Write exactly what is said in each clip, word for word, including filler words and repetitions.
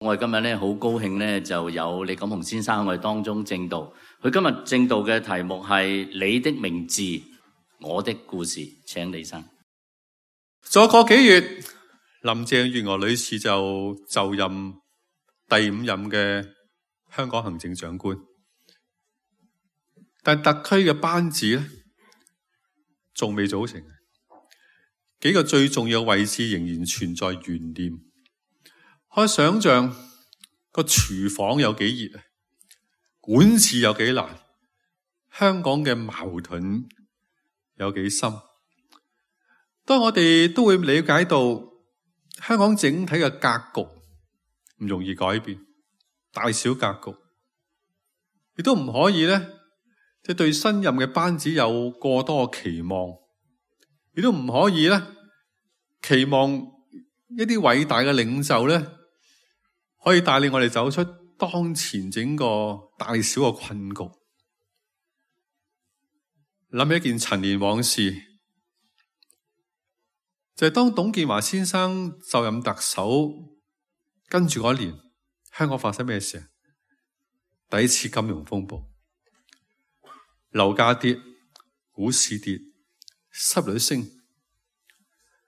我哋今日咧好高興咧，就有李錦雄先生喺我哋當中證道。佢今日證道嘅題目係你的名字，我的故事。請李生。再過幾月，林鄭月娥女士就就任第五任嘅香港行政長官，但特區嘅班子咧仲未組成，幾個最重要嘅位置仍然存在懸念。可以想象個廚房有幾熱啊，管治有幾難，香港嘅矛盾有幾深。當我哋都會理解到香港整體嘅格局唔容易改變，大小格局亦都唔可以咧，即係對新任嘅班子有過多嘅期望，亦都唔可以咧期望一啲偉大嘅領袖咧可以帶領我哋走出當前整個大小嘅困局。諗起一件陳年往事，就係當董建華先生就任特首，跟住嗰年香港發生咩事啊？第一次金融風暴，樓價跌，股市跌，失業率升。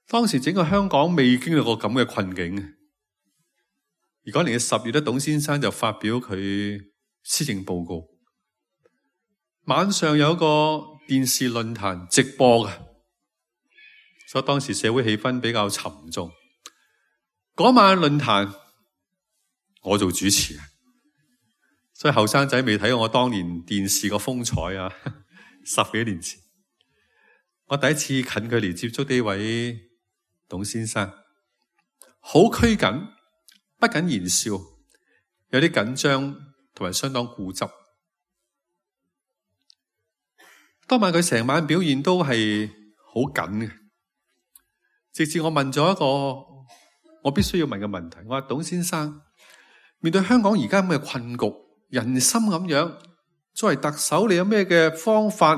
當時整個香港未經歷過咁嘅困境。而嗰年嘅十月咧，董先生就發表佢施政報告。晚上有個電視論壇直播嘅，所以當時社會氣氛比較沉重。嗰晚論壇我做主持，所以後生仔未睇過我當年電視個風采啊！十幾年前，我第一次近距離接觸呢位董先生，好拘謹。不僅言笑，有啲緊張同埋相當固執。當晚佢成晚表現都係好緊嘅，直至我問咗一個我必須要問嘅問題，我話董先生，面對香港而家咁嘅困局，人心咁樣，作為特首，你有咩嘅方法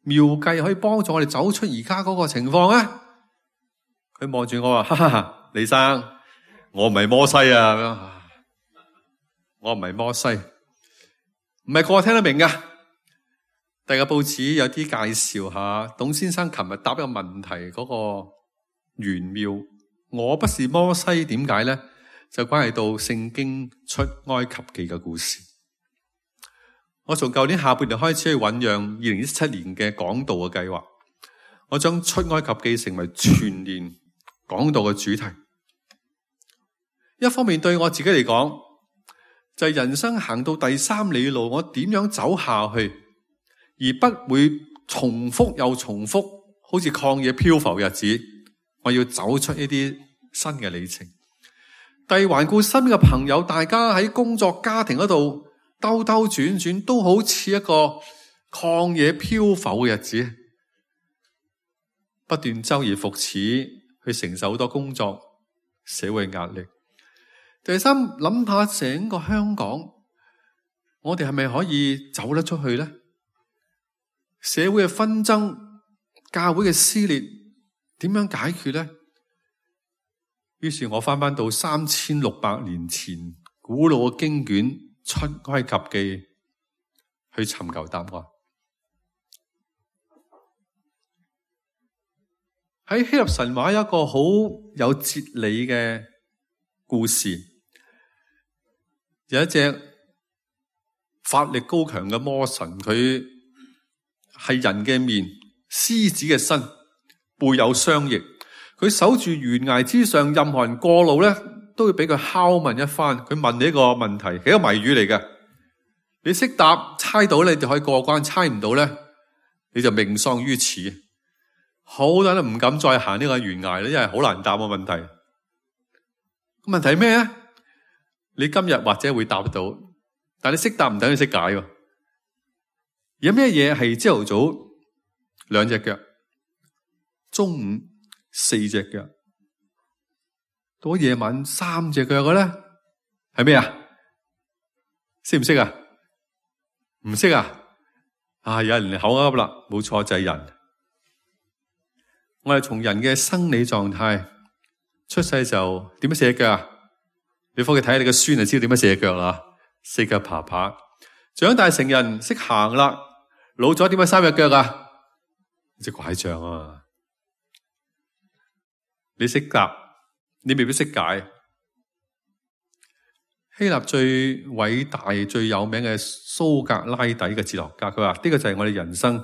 妙計可以幫助我哋走出而家嗰個情況啊？佢望住我話：哈哈，李生。我唔係摩西啊！我唔係摩西，唔係個個聽得明噶。第二個報紙有啲介紹下董先生琴日答一個問題嗰個玄妙。我不是摩西，點解咧？就關係到聖經出埃及記嘅故事。我從舊年下半年開始去醞釀二零一七年嘅講道嘅計劃，我將出埃及記成為全年講道嘅主題。一方面對我自己嚟講，就係人生行到第三里路，我點樣走下去，而不會重複又重複，好似曠野漂浮日子。我要走出一啲新嘅里程。第二，環顧身邊嘅朋友，大家喺工作家庭嗰度兜兜轉轉，都好似一個曠野漂浮嘅日子，不斷周而復始去承受好多工作社會壓力。第三，諗下整個香港，我哋係咪可以走得出去呢？社會嘅紛爭、教會嘅撕裂，點樣解決呢？於是我翻翻到三千六百年前古老嘅經卷出埃及記去尋求答案。喺希臘神話有一個好有哲理嘅故事。有一隻法力高強嘅魔神，佢係人嘅面，獅子嘅身，背有雙翼。佢守住懸崖之上，任何人過路咧，都會俾佢拷問一番。佢問你一個問題，係一個謎語嚟嘅。你識答，猜到咧，你就可以過關；猜唔到咧，你就命喪於此。好多人都唔敢再行呢個懸崖咧，因為好難答個問題。個問題係咩咧？你今日或者會答得到，但你識答唔等於識解喎。有咩嘢係朝頭早兩隻腳，中午四隻腳，到夜晚三隻腳嘅咧？係咩啊？識唔識啊？唔識啊？啊！有人口噏啦，冇錯，就係人。我哋從人嘅生理狀態出世就點樣四隻腳啊？你翻去睇下你個孫就知道點樣四隻腳啦，四腳爬爬。長大成人識行啦，老咗點解三隻腳啊？隻拐杖啊嘛。你識答，你未必識解。希臘最偉大、最有名嘅蘇格拉底嘅哲學家，佢話呢個就係我哋人生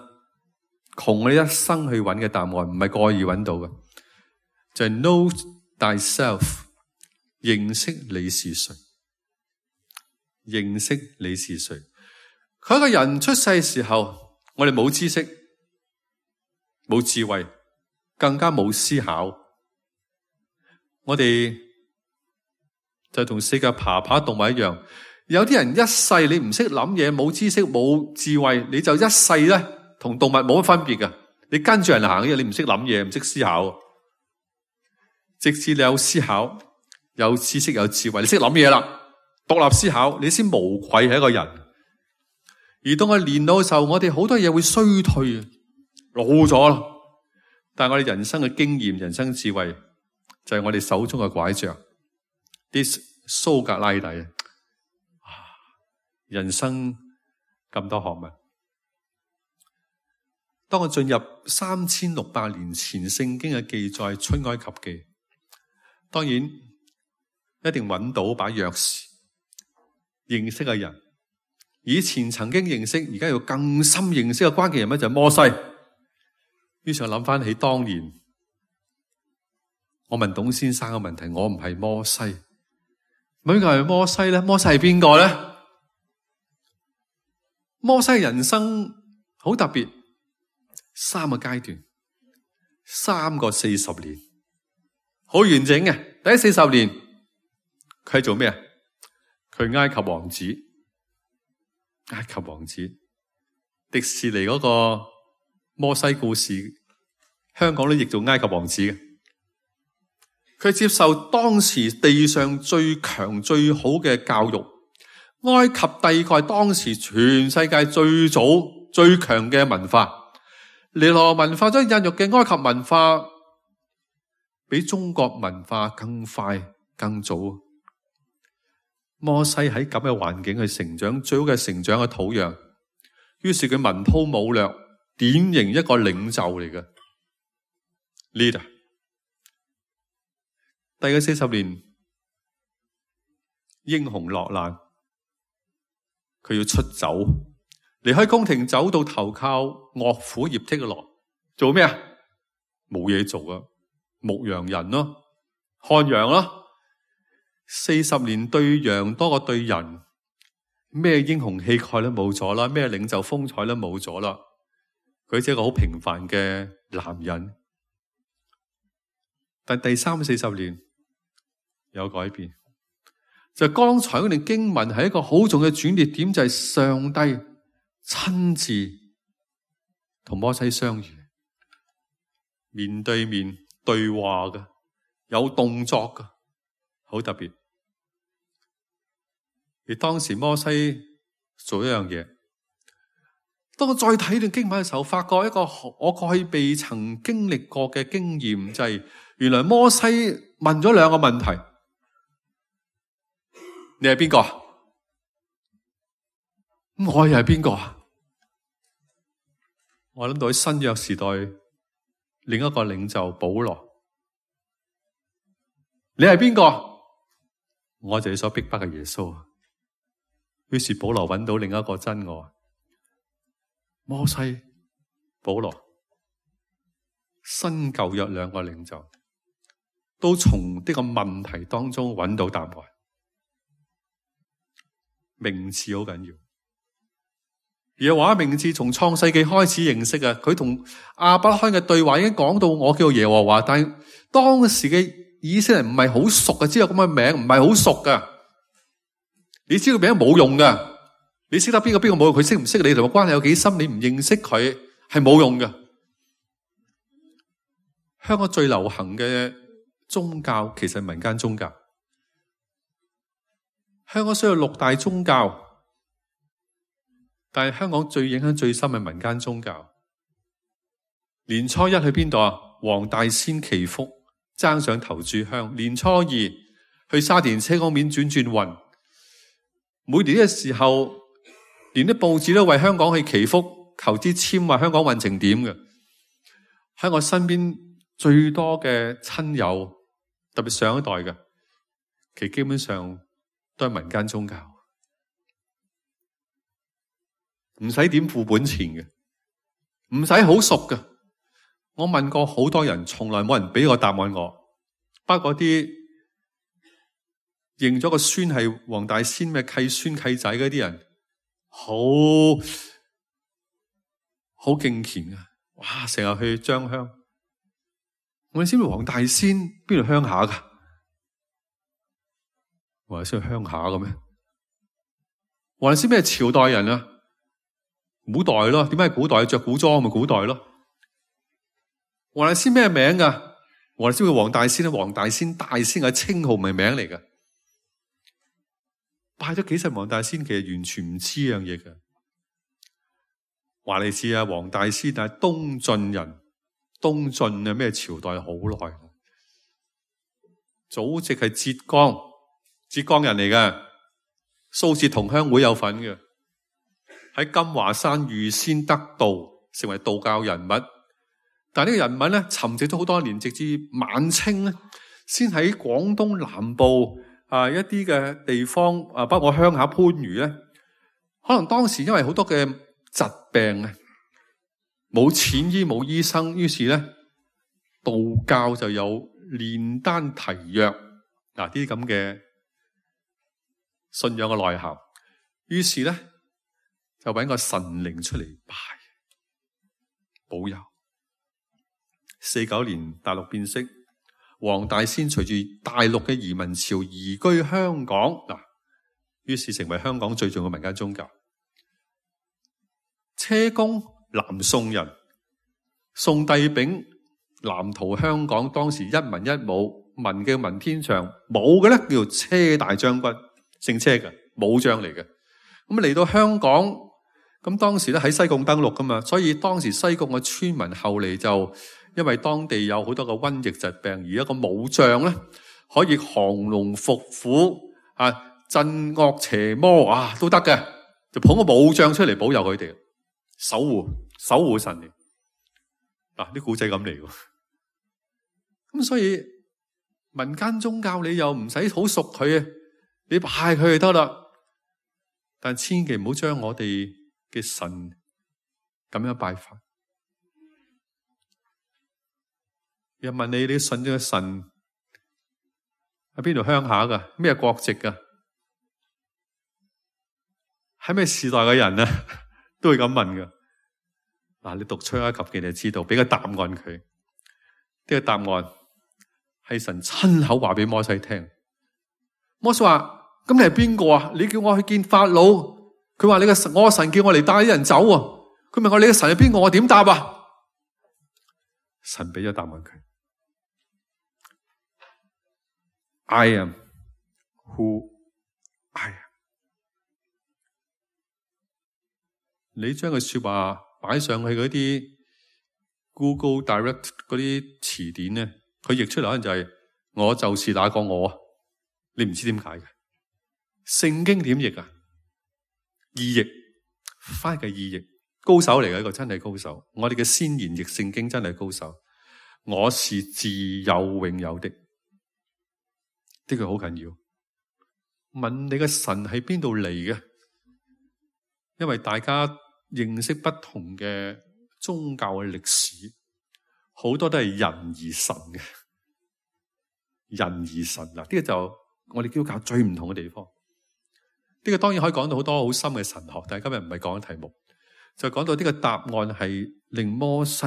窮我哋一生去揾嘅答案，唔係過意揾到嘅，就係 know thyself， 認識你是誰，認識你是誰。佢一個人出世嘅時候，我哋冇知識、冇智慧，更加冇思考，我哋就同四腳爬爬動物一樣。有啲人一世你唔識諗嘢，冇知識冇智慧，你就一世咧同動物冇乜分別㗎。你跟住人行嘅，你唔識諗嘢，唔識思考。直至你有思考、有知識、有智慧，你識諗嘢啦，獨立思考，你先無愧係一個人。而當我年老嘅時候，我哋好多嘢會衰退，老咗啦。但係我哋人生嘅經驗、人生智慧，就係我哋手中嘅拐杖。啲蘇格拉底啊，人生咁多學問。當我進入三千六百年前聖經嘅記載出埃及記，當然一定揾到把鑰匙，認識嘅人。以前曾經認識，而家要更深認識嘅關鍵人物就係摩西。於是我諗翻起當年，我問董先生嘅問題，我唔係摩西，邊個係摩西咧？摩西係邊個咧？摩西人生好特別，三個階段，三個四十年，好完整嘅。第一四十年，佢係做咩啊？佢係埃及王子，埃及王子，迪士尼嗰個摩西故事，香港都譯做埃及王子嘅。佢接受當時地上最強最好嘅教育，埃及帝國係當時全世界最早最強嘅文化，尼羅文化所孕育嘅埃及文化，比中國文化更快更早。摩西喺咁嘅環境去成長，最好嘅成長嘅土壤，於是佢文韜武略，典型一個領袖嚟嘅 leader。第二四十年，英雄落難，佢要出走，離開宮廷，走到投靠岳父葉忒羅，做咩啊？冇嘢做啊，牧羊人咯，看羊咯。四十年對羊多過對人，咩英雄氣概都冇咗啦，咩領袖風采都冇咗啦。佢只係一個好平凡嘅男人。但第三四十年有改變，就剛才嗰段經文係一個好重要嘅轉捩點，就係上帝親自同摩西相遇，面對面對話嘅，有動作嘅，好特別。而當時摩西做一樣嘢，當我再睇段經文嘅時候，發覺一個我過去未曾經歷過嘅經驗，就係原來摩西問咗兩個問題：你係邊個？我又係邊個啊？我諗到喺新約時代另一個領袖保羅，你係邊個？我就係所逼迫嘅耶穌。於是保羅揾到另一個真我，摩西、保羅，新舊約兩個領袖，都從呢個問題當中揾到答案。名字好緊要，耶和華名字從創世紀開始認識啊！佢同亞伯拉罕嘅對話已經講到我叫耶和華，但係當時嘅以色列人唔係好熟嘅，知道咁嘅名唔係好熟噶。你知道名冇用噶，你識得邊個邊個冇用，佢識唔識你同個關係有幾深，你唔認識佢係冇用噶。香港最流行嘅宗教其實係民間宗教，香港雖有六大宗教，但係香港最影響最深係民間宗教。年初一去邊度啊？黃大仙祈福爭上頭炷香，年初二去沙田車公廟轉轉運。每年嘅時候，連啲報紙都為香港去祈福、求支簽，話香港運程點嘅。喺我身邊最多嘅親友，特別上一代嘅，其實基本上都係民間宗教，唔使點付本錢嘅，唔使好熟嘅。我問過好多人，從來冇人俾個答案我。包括啲認咗個孫係黃大仙咩契孫契仔嗰啲人，好好敬虔啊！哇，成日去張香。我哋知唔知黃大仙邊度鄉下噶？黃大仙係鄉下嘅咩？黃大仙咩朝代人啊？古代咯。點解古代着古裝咪古代咯？黃大仙咩名噶？黃大仙叫黃大仙，黃大仙大仙嘅稱號唔係名嚟噶。拜咗幾世黃大仙，其實完全唔知樣嘢嘅。話你知啊，黃大仙係東晉人，東晉啊咩朝代好耐，祖籍係浙江，浙江人嚟嘅，蘇浙同鄉會有份嘅，喺金華山預先得道，成為道教人物。但係呢個人物咧，沉寂咗好多年，直至晚清咧，先喺廣東南部啊一啲嘅地方啊，包括鄉下番禺咧，可能當時因為好多嘅疾病啊，冇錢醫冇醫生，於是咧道教就有煉丹提藥嗱啲咁嘅信仰嘅內涵，於是咧就搵個神靈出嚟拜保佑。四九年大陸變色，黃大仙隨住大陸嘅移民潮移居香港嗱，於是成為香港最重要嘅民間宗教。車公南宋人，宋帝昺南逃香港，當時一文一武，文嘅文天祥，武嘅咧叫做車大將軍，姓車嘅武將嚟嘅。咁嚟到香港，咁當時咧喺西貢登陸噶嘛，所以當時西貢嘅村民後嚟就因為當地有好多個瘟疫疾病，而一個武將咧可以降龍伏虎啊，鎮惡邪魔啊都得嘅，就捧個武將出嚟保佑佢哋，守護守護神嚟。嗱啲古仔咁嚟喎，咁所以民間宗教你又唔使好熟佢，你拜佢就得啦。但千祈唔好將我哋嘅神咁樣拜法。又問你，你信咗個神喺邊度鄉下噶？咩國籍噶？喺咩時代嘅人啊？都會咁問噶。嗱，你讀出埃及記你就知道，俾個答案佢。呢個答案係神親口話俾摩西聽。摩西話：咁你係邊個啊？你叫我去見法老，佢話你個神，我個神叫我嚟帶啲人走啊。佢問我你個神係邊個？我點答啊？神俾咗答案佢。I am who I am。你將個說話擺上去嗰啲 Google Direct 嗰啲詞典咧，佢譯出嚟可能就係、是、我就是那個我。你唔知點解嘅？聖經點譯啊？意譯，翻譯嘅意譯，高手嚟嘅，一個真係高手。我哋嘅先言譯聖經真係高手。我是自有永有的。呢句好緊要。問你嘅神喺邊度嚟嘅？因為大家認識不同嘅宗教嘅歷史，好多都係人而神嘅。人而神嗱，呢個就我哋基督教最唔同嘅地方。呢個當然可以講到好多好深嘅神學，但係今日唔係講嘅題目，就講到呢個答案係令摩西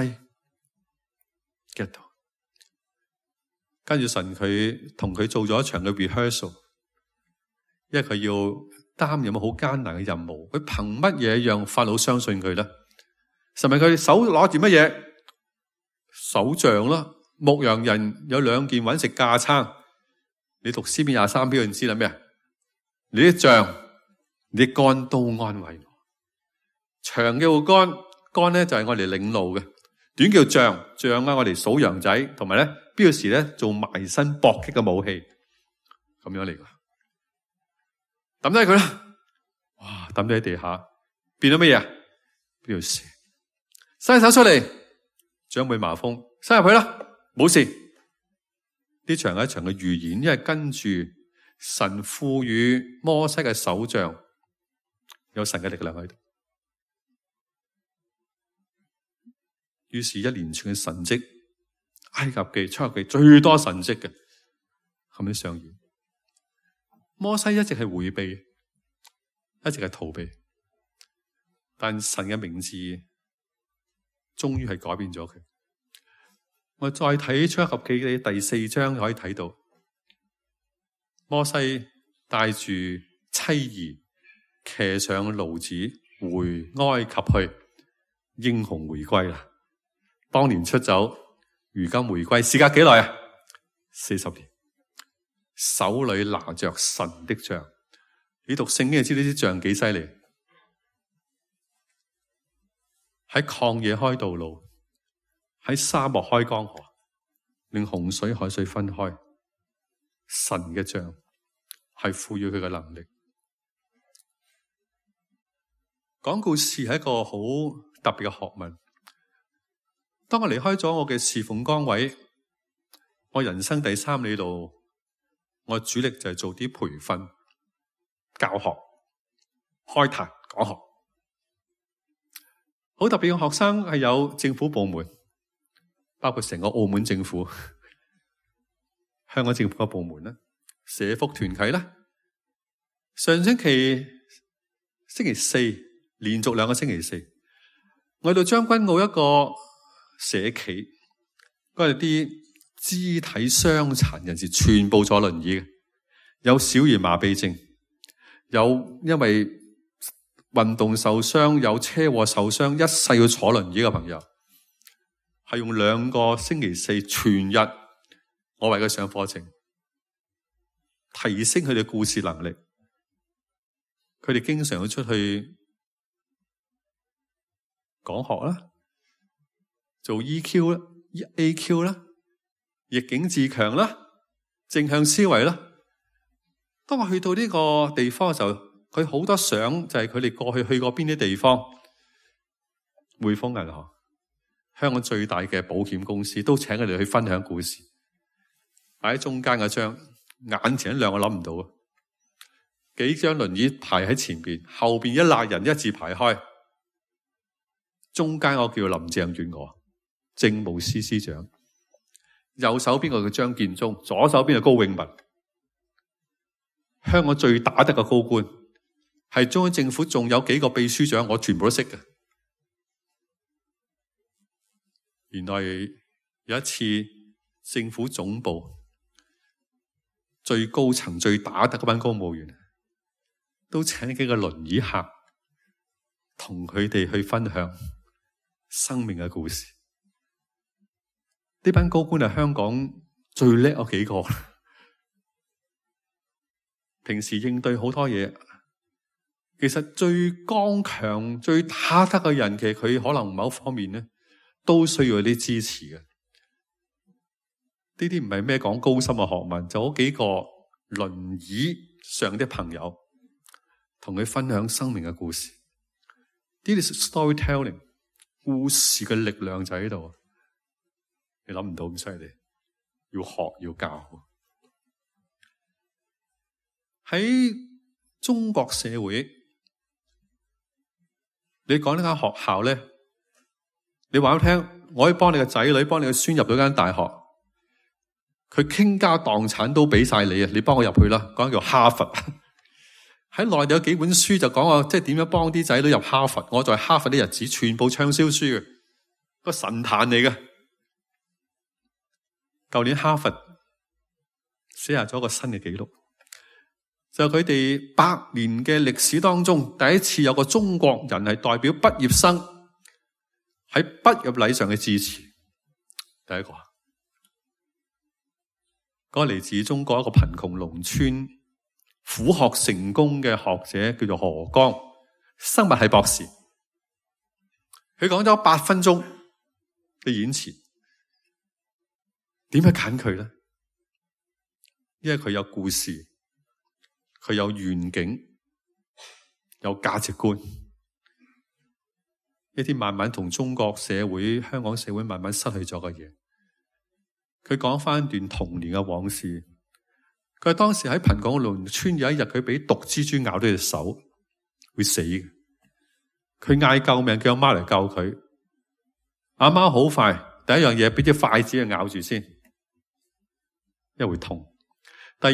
get 到。跟住神佢同佢做咗一場嘅 rehearsal， 因為佢要擔任好艱難嘅任務。佢憑乜嘢讓法老相信佢咧？神咪佢手攞住乜嘢？手杖啦。牧羊人有兩件揾食架撐。你讀詩篇廿三篇，你知啦咩？你啲杖，你啲竿都安慰我。長嘅個竿，竿咧就係我哋領路嘅；短叫杖，杖啊我哋數羊仔，同埋咧必要時咧做埋身搏擊嘅武器。咁樣嚟噶，抌低佢啦！哇，抌低喺地下，變咗乜嘢？變條蛇。伸手出嚟，長輩麻風，伸入去啦，冇事。呢場係一場嘅預言，因為跟住神賦予摩西嘅手杖有神嘅力量喺度，於是一連串嘅神蹟，埃及記、出埃及記最多神蹟嘅咁樣上演。摩西一直係回避，一直係逃避，但神嘅名字終於係改變咗佢。我再睇出埃及記嘅第四章可以睇到，摩西帶住妻兒騎上驢子回埃及去，英雄回歸啦！當年出走，如今回歸，時隔幾耐啊？四十年，手裏拿着神的杖。你讀聖經就知呢啲杖幾犀利，喺曠野開道路，喺沙漠開江河，令洪水海水分開。神嘅杖係賦予佢嘅能力。講故事係一個好特別嘅學問。當我離開咗我嘅侍奉崗位，我人生第三里路，我主力就係做啲培訓、教學、開壇、講學。好特別嘅學生係有政府部門，包括成個澳門政府、香港政府嘅部門啦、社福團體啦。上星期星期四，連續兩個星期四，我去到將軍澳一個社企，嗰啲肢體傷殘人士全部坐輪椅嘅，有小兒麻痹症，有因為運動受傷，有車禍受傷，一世要坐輪椅嘅朋友，係用兩個星期四全日，我為佢上課程，提升佢哋故事能力。佢哋經常要出去講學啦，做 E Q 啦、A Q 啦、逆境自強啦、正向思維啦。當我去到呢個地方嘅時候，佢好多相就係佢哋過去去過邊啲地方。匯豐銀行，香港最大嘅保險公司，都請佢哋去分享故事。擺喺中間嗰張，眼前一亮，我諗唔到啊！幾張輪椅排喺前邊，後邊一列人一字排開。中間我叫林鄭月娥，政務司司長，右手邊個叫張建宗，左手邊個高永文，香港最打得嘅高官，係中央政府仲有幾個秘書長，我全部都識嘅。原來有一次政府總部最高層最打得嗰班公務員，都請幾個輪椅客同佢哋去分享生命嘅故事。呢班高官係香港最叻嗰幾個，平時應對好多嘢，其實最剛強、最打得嘅人，其實佢可能某方面咧都需要啲支持嘅。呢啲唔係咩講高深嘅學問，就嗰幾個輪椅上的朋友同佢分享生命嘅故事。呢啲 storytelling， 故事嘅力量就喺度。你諗唔到咁犀利，要學要教。喺中國社會，你講呢間學校咧，你話我聽，我可以幫你個仔女，幫你個孫入到間大學，佢傾家蕩產都俾晒你啊！你幫我入去啦，講叫哈佛。喺內地有幾本書就講話，即係點樣幫啲仔女入哈佛。我在哈佛啲日子，全部暢銷書嘅，個神壇嚟嘅。舊年哈佛寫下咗一個新嘅紀錄，就係佢哋百年嘅歷史當中，第一次有個中國人係代表畢業生喺畢業禮上嘅致辭。第一個，嗰個嚟自中國一個貧窮農村苦學成功嘅學者，叫做何剛，生物系博士。佢講咗八分鐘嘅演辭。點解揀佢咧？因為佢有故事，佢有願景，有價值觀，一啲慢慢同中國社會、香港社會慢慢失去咗嘅嘢。佢講翻一段童年嘅往事。佢話當時喺貧窮嘅農村，有一日佢俾毒蜘蛛咬到隻手，會死嘅。佢嗌救命，叫阿媽嚟救佢。阿媽好快，第一樣嘢俾隻筷子去咬住先，因為會痛。第二，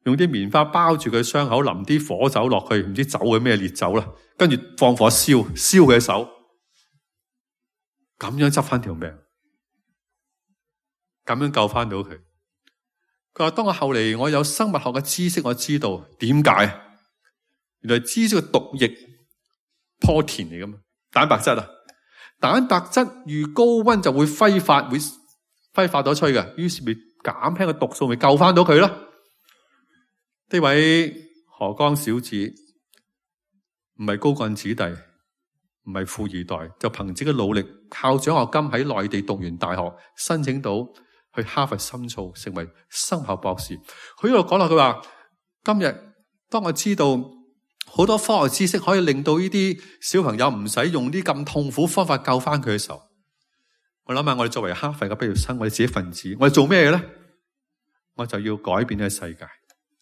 用啲棉花包住佢傷口，淋啲火酒落去，唔知酒嘅咩烈酒啦，跟住放火燒，燒佢嘅手，咁樣執翻條命，咁樣救翻到佢。佢話當我後嚟我有生物學嘅知識，我知道點解，原來蜘蛛嘅毒液 protein 嚟噶嘛，蛋白質啊，蛋白質遇高溫就會揮發，會揮發咗出去嘅，於是咪減輕個毒素，咪救翻到佢咯。呢位河江小子唔係高幹子弟，唔係富二代，就憑自己嘅努力，靠獎學金喺內地讀完大學，申請到去哈佛深造，成為生物博士。佢呢度講落，佢話今日當我知道好多科學知識可以令到呢啲小朋友唔使用啲咁痛苦方法救翻佢嘅時候，我諗下我哋作為哈佛嘅畢業生，我哋自己分子，我哋做咩嘅咧？我就要改變呢個世界。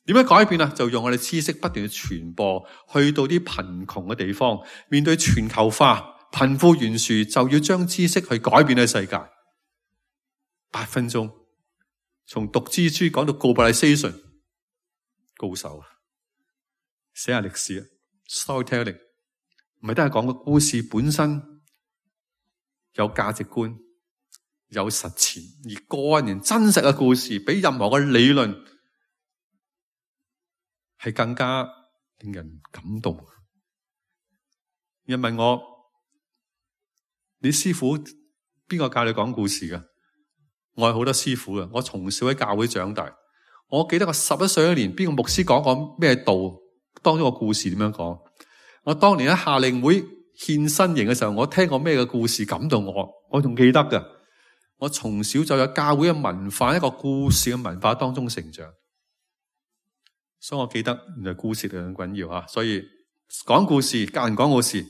點樣改變啊？就用我哋知識不斷去傳播，去到啲貧窮嘅地方，面對全球化、貧富懸殊，就要將知識去改變呢個世界。八分鐘，從毒蜘蛛講到 globalization， 高手啊！寫下歷史啊 ，storytelling， 唔係都係講個故事本身有價值觀、有實踐，而個人真實嘅故事比任何嘅理論係更加令人感動。有人問我：你師傅邊個教你講故事㗎？我係好多師傅嘅，我從小喺教會長大。我記得我十一歲一年，邊個牧師講過咩道，當中個故事點樣講？我當年喺夏令會獻身營嘅時候，我聽過咩嘅故事感動我，我仲記得㗎。我從小就有教會嘅文化，一個故事嘅文化當中成長，所以我記得原來故事係咁緊要啊！所以講故事，教人講故事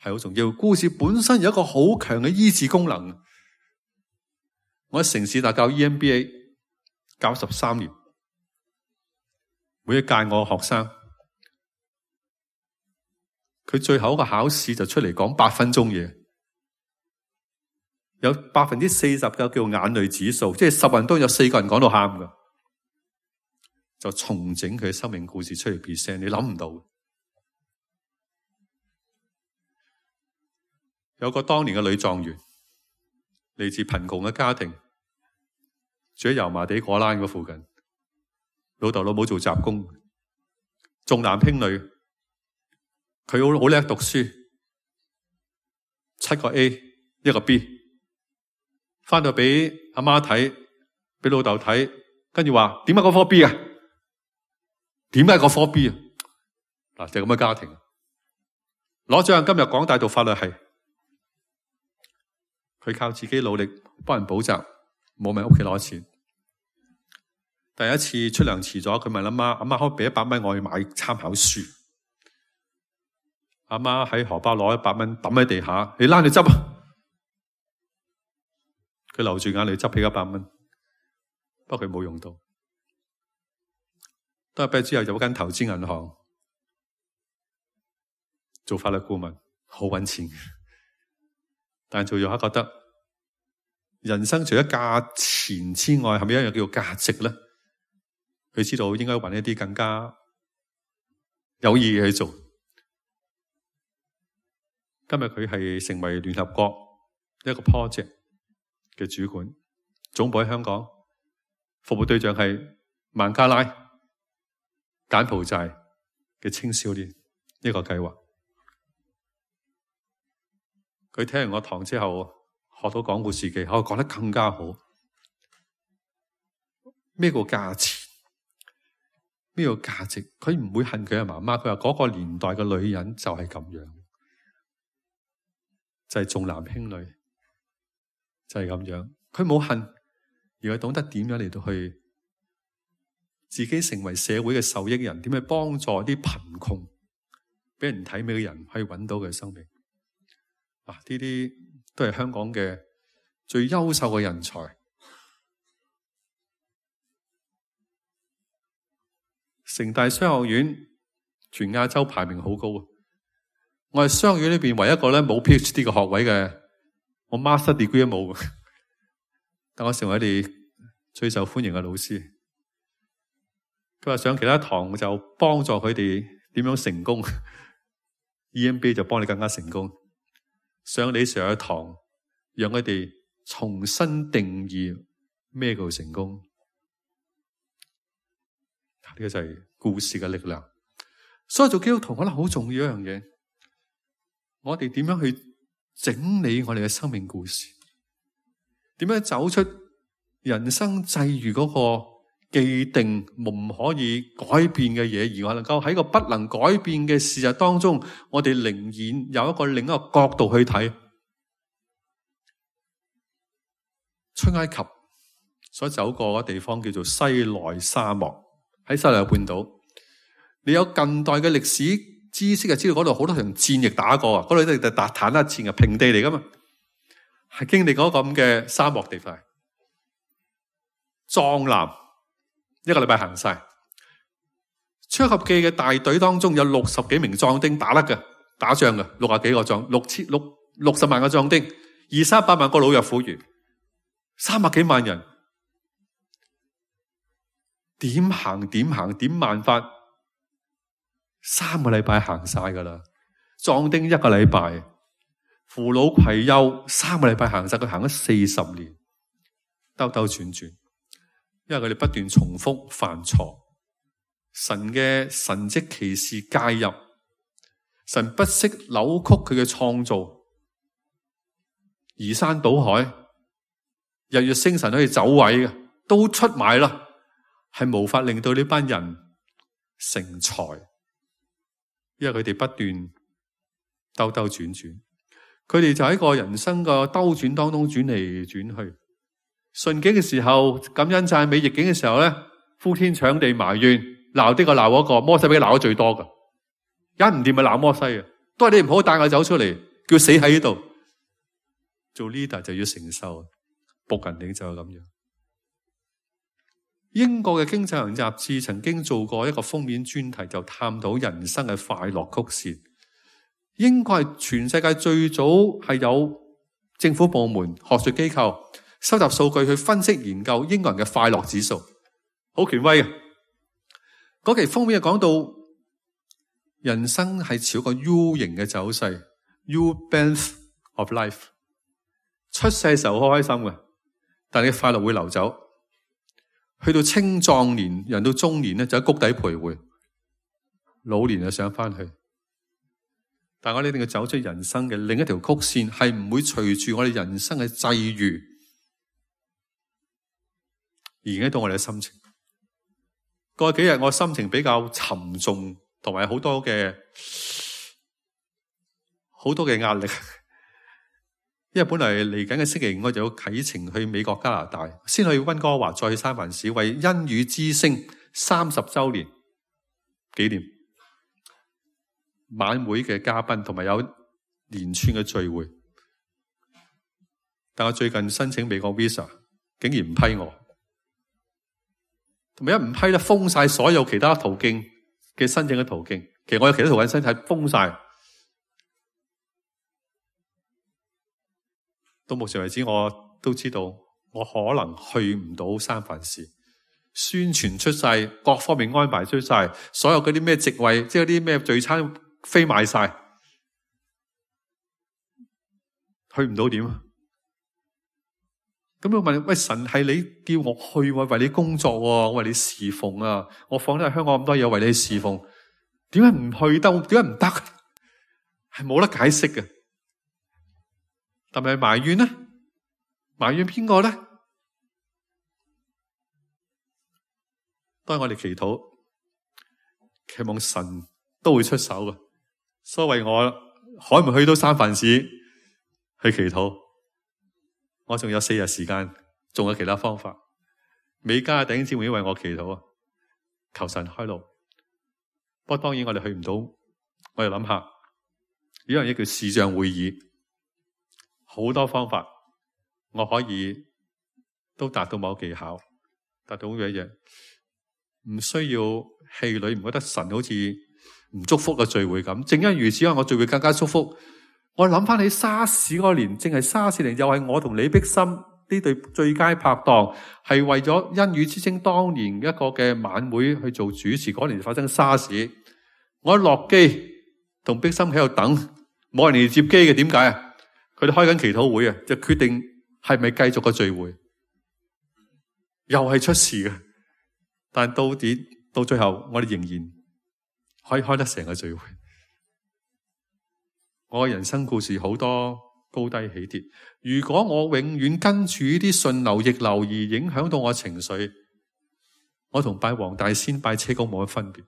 係好重要。故事本身有一個好強嘅醫治功能。我喺城市大教 E M B A 教十三年，每一屆我嘅學生，佢最後一個考試就出嚟講八分鐘嘢，有百分之四十嘅叫眼淚指數，即係十人都有四個人講到喊㗎，就重整佢嘅生命故事出嚟 present， 你諗唔到。有個當年嘅女狀元，嚟自貧窮嘅家庭，住喺油麻地果欄嗰附近，老豆老母做雜工，重男輕女，佢好好叻讀書，七個 A 一個 B， 翻到俾阿媽睇，俾老豆睇，跟住話點解嗰科 B 啊？點解嗰科 B 啊？嗱，就係咁嘅家庭，攞獎今日港大讀法律系。佢靠自己努力幫人補習，冇問屋企攞錢。第一次出糧遲咗，佢問阿媽：阿媽可唔可以俾一百蚊我去買參考書？阿媽喺荷包攞一百蚊抌喺地下，你拉你執啊！佢流住眼淚執起一百蚊，不過佢冇用到。都係畢業之後入一間投資銀行做法律顧問，好搵錢。但做咗下覺得人生除咗價錢之外，係咪一樣叫做價值咧？佢知道應該揾一啲更加有意義去做。今日佢係成為聯合國一個 project 嘅主管，總部喺香港，服務對象係孟加拉、柬埔寨嘅青少年一個計劃。佢聽完我堂之後，學到講故事技巧，講得更加好。咩個價錢？咩個價值？佢唔會恨佢嘅媽媽。佢話嗰個年代嘅女人就係咁樣，就係重男輕女，就係咁樣。佢冇恨，而係懂得點樣嚟到去自己成為社會嘅受益人，點去幫助啲貧窮、俾人睇美嘅人，可以揾到佢嘅生命。啊，呢啲都係香港嘅最優秀嘅人才。城大商學院全亞洲排名好高啊！我係商學院裏邊唯一一個咧冇 PhD 嘅學位嘅，我 Master Degree 都冇嘅，但我成為你哋最受歡迎嘅老師。佢話上其他堂就幫助佢哋點樣成功 ，E M B A 就幫你更加成功。上你上一堂，讓佢哋重新定義咩叫成功。呢個就係故事嘅力量。所以做基督徒可能好重要一樣嘢，我哋點樣去整理我哋嘅生命故事？點樣走出人生際遇嗰個既定唔可以改變嘅嘢，而我能夠喺個不能改變嘅事實當中，我哋寧願有一個另一個角度去睇。出埃及所走過嘅地方叫做西奈沙漠，喺西奈半島。你有近代嘅歷史知識就知道嗰度好多場戰役打過啊，嗰度都係打坦克戰嘅平地嚟噶嘛，係經歷過咁嘅沙漠地塊，壯藍一個禮拜行晒。出埃及記嘅大隊當中有六十幾名壯丁打得嘅，打仗嘅六十幾個壯，六千六六十萬個壯丁，二三百萬個老弱婦孺，三百幾萬人，點行點行點辦法？三個禮拜行晒噶啦，壯丁一個禮拜，扶老攜幼三個禮拜行晒，佢行咗四十年，兜兜轉轉，因為佢哋不斷重複犯錯，神嘅神蹟奇事介入，神不惜扭曲佢嘅創造，移山倒海，日月星辰可以走位嘅，都出埋啦，係無法令到呢班人成才。因為佢哋不斷兜兜轉轉，佢哋就喺個人生個兜轉當中轉嚟轉去。順境嘅時候感恩讚美，逆境嘅時候咧呼天搶地埋怨，鬧呢個鬧嗰個。摩西俾佢鬧得最多噶，一唔掂咪鬧摩西啊！都係你唔好帶我走出嚟，叫死喺呢度。做 leader 就要承受，僕人領袖就係咁樣。英國嘅經濟學雜誌曾經做過一個封面專題，就探討人生嘅快樂曲線。英國係全世界最早係有政府部門、學術機構收集數據去分析研究英國人嘅快樂指數，好權威嘅。嗰期封面就講到人生係朝個 U 型嘅走勢 ，U bend of life。出世嘅時候好開心嘅，但係快樂會流走。去到青壯年，人到中年咧就喺谷底徘徊，老年就上翻去。但我哋一定要走出人生嘅另一條曲線，係唔會隨住我哋人生嘅際遇而影響到我哋嘅心情。過去幾日我心情比較沉重，同埋好多嘅好多嘅壓力。因為本來嚟緊嘅星期五我就要啟程去美國加拿大，先去溫哥華，再去三藩市為恩語之聲三十周年紀念晚會嘅嘉賓，同埋有連串嘅聚會。但我最近申請美國 visa 竟然唔批我，同埋一唔批咧封晒所有其他途徑嘅申請嘅途徑。其實我有其他途徑申請係封晒。到目前為止，我都知道我可能去唔到三藩市，宣傳出晒，各方面安排出晒，所有嗰啲咩席位，即係嗰啲咩聚餐飛買晒，去唔到點啊？咁我問：喂，神係你叫我去，為你工作，我為你侍奉啊！我放低喺香港咁多嘢，為你侍奉，點解唔去得？點解唔得？係冇得解釋嘅。但係埋怨呢？埋怨邊個呢？當然我哋祈禱，期望神都會出手嘅。所謂我可唔可以去到三藩市去祈禱？我仲有四日時間，仲有其他方法。美加弟兄姊妹為我祈禱啊！求神開路。不過當然我哋去唔到，我哋諗下，呢樣嘢叫視像會議，好多方法我可以都達到某技巧，達到嘅嘢，唔需要氣餒，唔覺得神好似唔祝福嘅聚會咁。正因如此，我聚會更加祝福。我諗翻起沙士嗰年，正係沙士年，又係我同李碧心呢對最佳拍檔，係為咗恩語之聲當年一個嘅晚會去做主持。嗰年發生沙士，我一落機同碧心喺度等，冇人嚟接機嘅。點解啊？佢哋開緊祈禱會啊，就決定係咪繼續個聚會，又係出事嘅。但到底到最後，我哋仍然可以開得成個聚會。我嘅人生故事好多高低起跌，如果我永遠跟住呢啲順流逆流而影響到我情緒，我同拜黃大仙拜車公冇乜分別。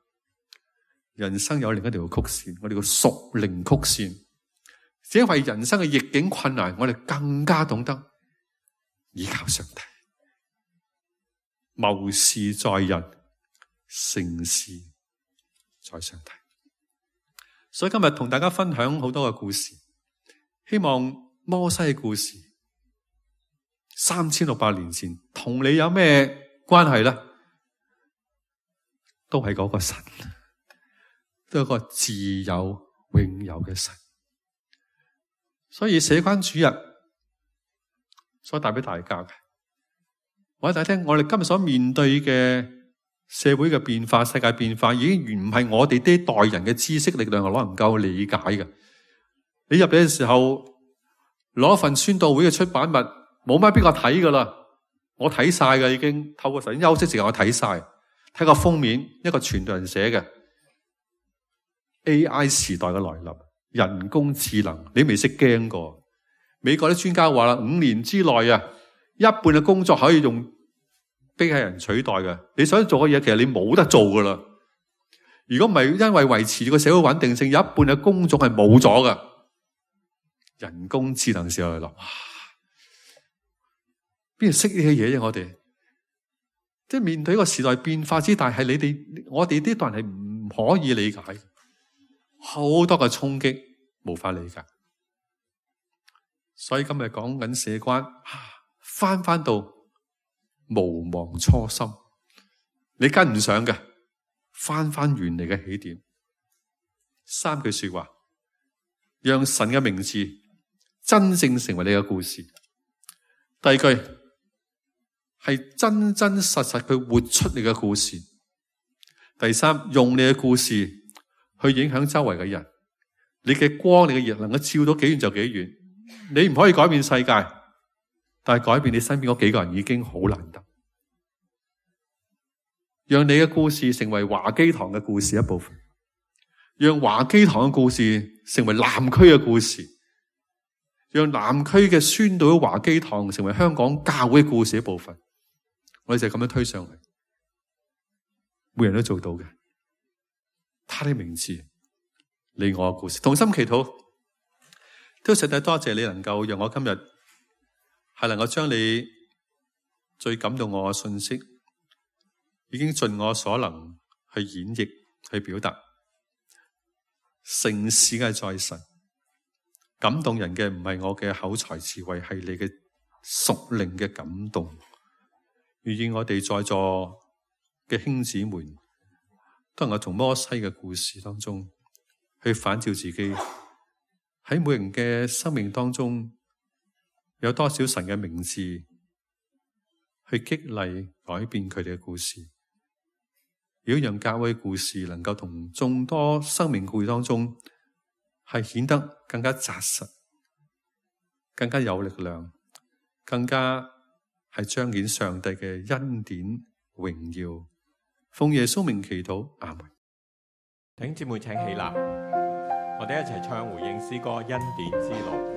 人生有另一條曲線，我哋叫屬靈曲線。只因為人生嘅逆境困難，我哋更加懂得依靠上帝。謀事在人，成事在上帝。所以今日同大家分享好多嘅故事，希望摩西嘅故事三千六百年前同你有咩關係呢？都係嗰個神，都係個自有永有嘅神。所以社關主日所帶俾大家嘅，我喺大家聽，我哋今日所面對嘅社會嘅變化、世界變化，已經唔係我哋呢代人嘅知識力量可能夠理解嘅。你入嚟嘅時候，攞份宣道會嘅出版物，冇乜邊個睇噶啦。我睇晒嘅已經，透過神休息時間我睇晒，睇個封面，一個傳道人寫嘅 A I 時代嘅來臨，人工智能，你未識驚過。美國啲專家話啦，五年之內啊，一半嘅工作可以用機械人取代嘅，你想做嘅嘢，其實你冇得做噶啦。如果唔係因為維持個社會穩定性，有一半嘅工種係冇咗噶。人工智能時候嚟諗，哇，邊度識呢啲嘢啫？我哋即係面對一個時代變化之大，係你哋我哋呢代人係唔可以理解，好多嘅衝擊無法理解。所以今日講緊社關，翻翻到無忘初心，你跟唔上嘅，翻翻原嚟嘅起點。三句說話，讓神嘅名字真正成為你嘅故事。第二句係真真實實去活出你嘅故事。第三，用你嘅故事去影響周圍嘅人。你嘅光，你嘅熱能夠照到幾遠就幾遠。你唔可以改變世界，但係改變你身邊嗰幾個人已經好難得。讓你嘅故事成為華基堂嘅故事一部分，讓華基堂嘅故事成為南區嘅故事，讓南區嘅宣道華基堂成為香港教會嘅故事一部分。我哋就咁樣推上去，每人都做到嘅。他的名字，你我嘅故事，同心祈禱。都實在多謝你能夠讓我今日係能夠將你最感動我嘅信息，已經盡我所能去演繹、去表達。成事嘅在神，感動人嘅唔係我嘅口才智慧，係你嘅屬靈嘅感動。願意我哋在座嘅兄姊妹都能夠從摩西嘅故事當中去反照自己。喺每人嘅生命當中，有多少神嘅名字去激勵改變佢哋嘅故事？如果讓教會故事能夠同眾多生命故事當中係顯得更加紮實、更加有力量、更加係彰顯上帝嘅恩典榮耀，奉耶穌名祈禱，阿門。弟兄姊妹請起立，我哋一齊唱回應詩歌《恩典之路》。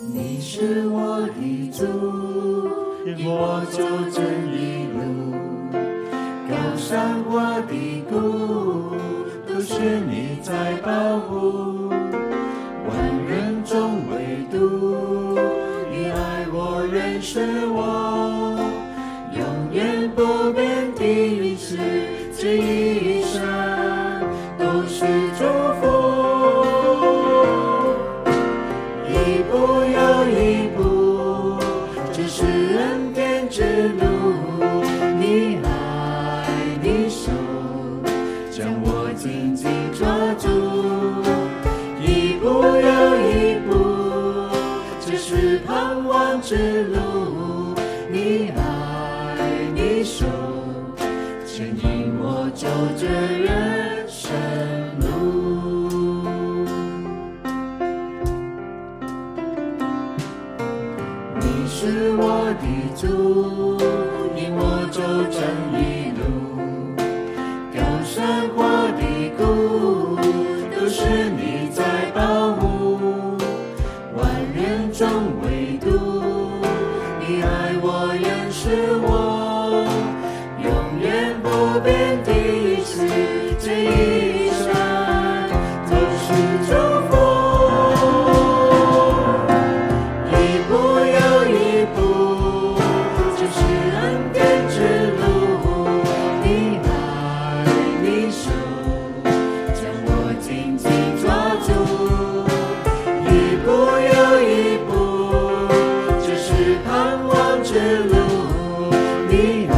你是我的主，引我走正义路，高山或低谷，都是你在保护。万人中唯独你爱我，认识我，永远不变的意思，这一生都是祝福。一步又一步，这是恩典之路，你爱你手将我紧紧抓住。一步又一步，这是盼望之路，你爱你手牵引我走这人生路。你是我的主，引我走正义路，高山或低谷，都是你在保护。万人中唯独你爱我，认识我，永远不变的意思，这一生都是祝福。一步又一步，这是恩典之路，你爱你手将我紧紧抓住。一步又一步，这是盼望之路，你爱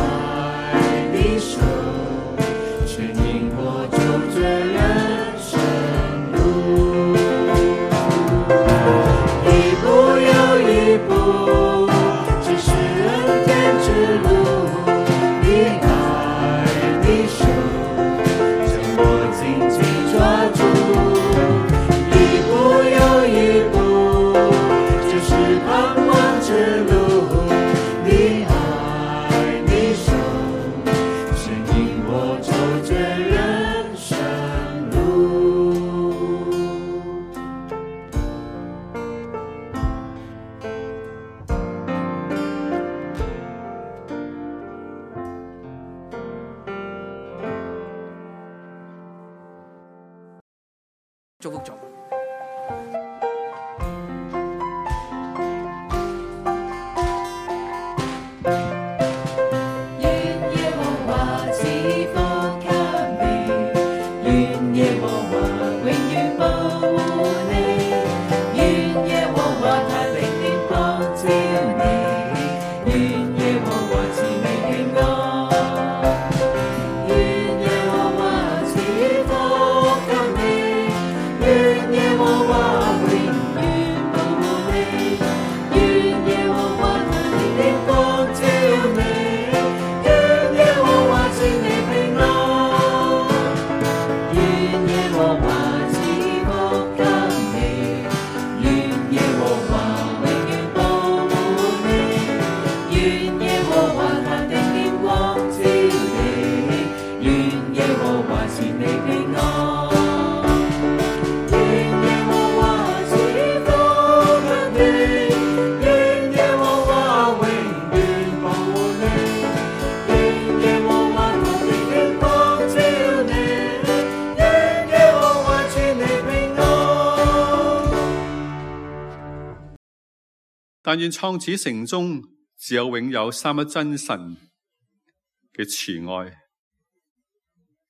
你手牵引我走这人生路。一步又一步，这是恩典之路，你爱你手将我紧紧抓住。一步又一步，这是盼望之路，你爱你手牵引我走这人生路。祝福咗。愿耶和华赐福给你，愿耶和华永遠保護你，願耶和華他的臉光照你，願耶和華賜你平安，願耶和華賜福給你，願耶和華永遠保護你，願耶和華他的臉光照你，願耶和華賜你平安，願耶和華賜福給你，願耶和華永遠保護你，願耶和華他的臉光照你，願耶和華賜你平安，願耶和華賜福給你，願耶和華永遠保護你，願耶和華他的臉光照你，願耶和華賜你平安。但願創始成終只有永有三一真神嘅慈愛，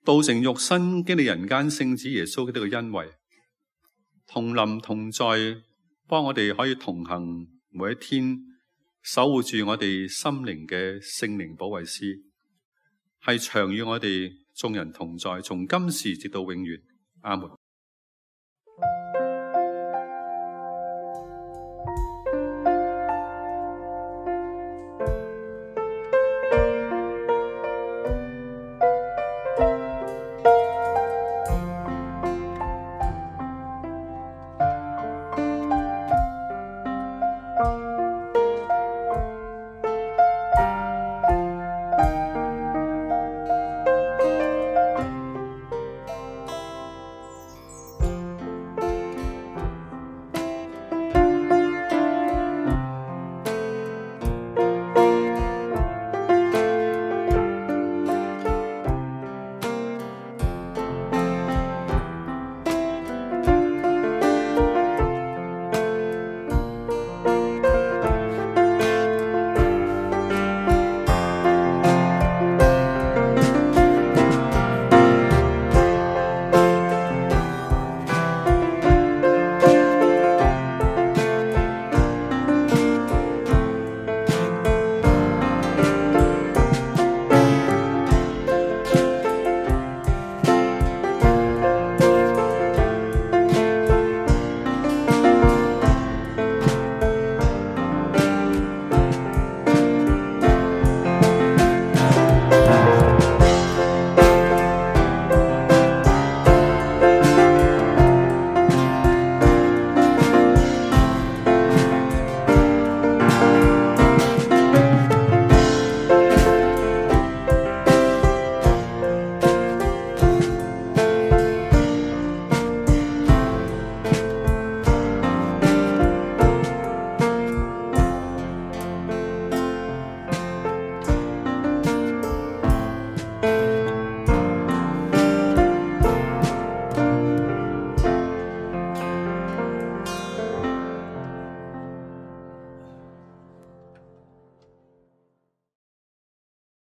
道成肉身經歷人間聖子耶穌嘅呢個恩惠，同臨同在，幫我哋可以同行每一天，守護住我哋心靈嘅聖靈保惠師，係長與我哋眾人同在，從今時直到永遠。阿門。